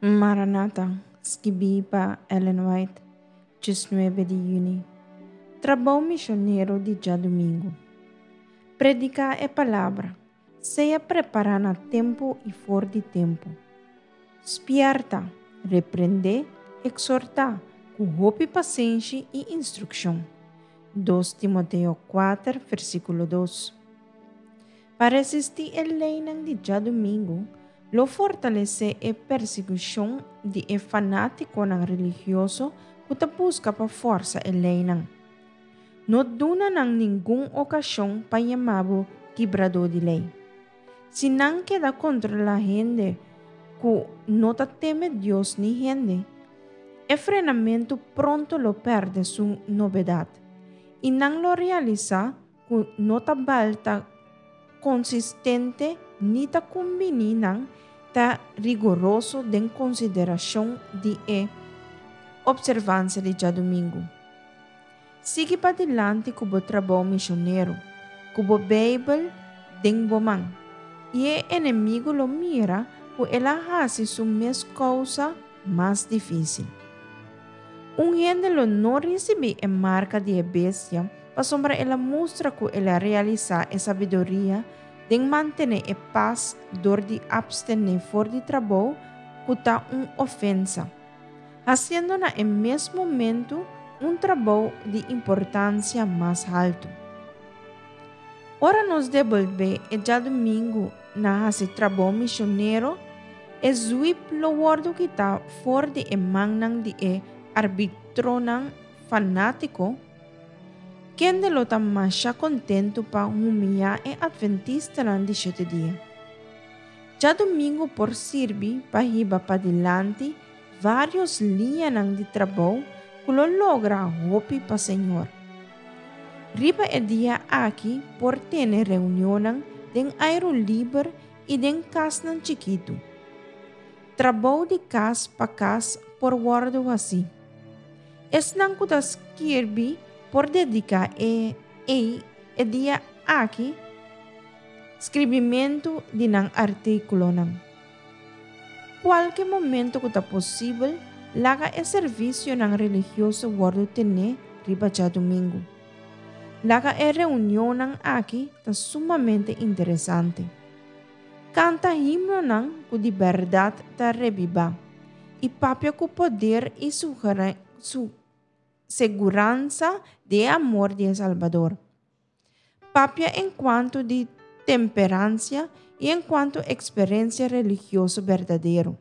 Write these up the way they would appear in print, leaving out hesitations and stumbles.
Maranata, skibí pa Ellen White, 19 di yüni. Trabou misionero di djadumingu. Prediká e palabra. Sea prepará na tempu i for di tempu. Spièrta, reprendé, eksortá, ku hopi pasenshi i instrukshon. 2 Timoteo 4, versíkulo 2. Pa resistí e leinan di djadumingu, lo fortalesé e persekushon di e fanátikonan religioso ku ta buska pa fòrsa e leinan. No duna nan ningun okashon pa yama bo kibradó di lei. Si nan keda kontrolá hende ku no ta teme Dios ni hende, e frenamentu pronto lo pèrdè su nobedat i nan lo realisá ku no ta bal ta konsistente ni ta kumbiní nan ta rigoroso den konsiderashon di e opservansia di djadumingu. Sigui padilanti ku bo trabou mishonero, ku bo Beibel den bo man, i e enemigu lo mira ku el a hasi su mes kousa mas difísil. Un hende lo no risibí e marka di e bestia pasobra el a mustra ku el a realisá e sabiduria den mantené e pas dor di apstené for di trabou ku ta un ofensa, hasiendo na e mes momentu un trabou di importansia mas haltu. Ora nos debolbé e djadumingu na hasi trabou misionero, e zwip lo wòrdu kitá for di e mannan di e arbitronan fanátiko, kende lo ta masha kontentu pa humiyá e atventistanan di shete dia. Djadumingu por sirbi pa hiba padilanti vários liñanan di trabou ku lo logra hopi pa Señor. Riba e dia aki por tene reunionnan den airu liber i den kasnan chikitu. Trabou di kas pa kas por wòrdu hasí. Esnan ku ta skirbi por dediká e ei e dia aki skribimentu di nan artíkulonan. Kualke momento ku ta posibel, laga e servisionan religioso wòrdu tené riba djadumingu. Laga e reunionnan aki ta sumamente interesante. Kanta himnonan ku di bèrdat ta rebibá i papia ku poder i su seguransa di e amor di e Salbador. Papia enkuanto di temperansia i enkuanto eksperensia religioso berdadero.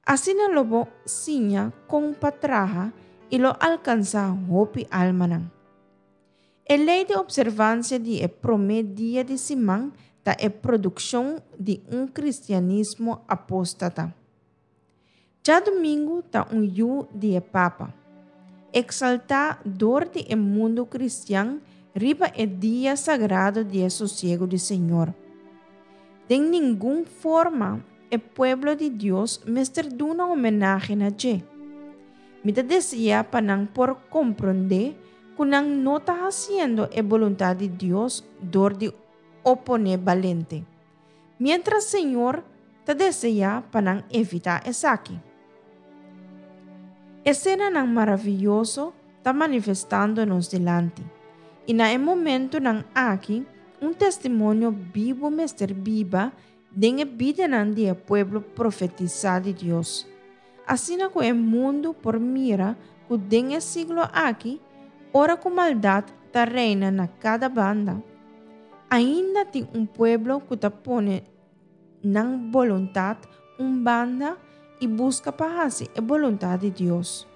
Asina lo bo siña kon pa traha i lo alkansá hopi almanan. E lei di opservansia di e promé dia di siman ta e produkshon di un kristianismo apóstata. Djadumingu ta un yu di e Papa, eksaltá dor di e mundu kristian riba e dia sagrado di e sosiegu di Señor. Den ningun forma e pueblo di Dios mester duna homenahe na dje. Mi ta deseá pa nan por komprondé ku nan no ta hasiendo e boluntat di Dios dor di oponé balente. Miéntras Señor ta deseá pa nan evitá esaki. Esenanan maravioso ta manifestando nos dilanti, i na e momentunan aki un testimonio bibu mester biba den e bidanan di e pueblo profetisá di Dios, asina ku e mundu por mira ku den e siglo aki, ora ku maldat ta reina na kada banda, ainda tin un pueblo ku ta pone nan boluntat un banda i buska pa hasi e boluntat di Dios.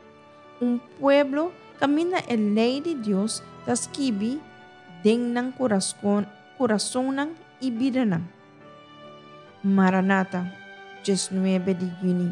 Un pueblo kaminda e lei di Dios ta skibi den nan kurasonnan i bidanan. Maranata, 19 di yüni.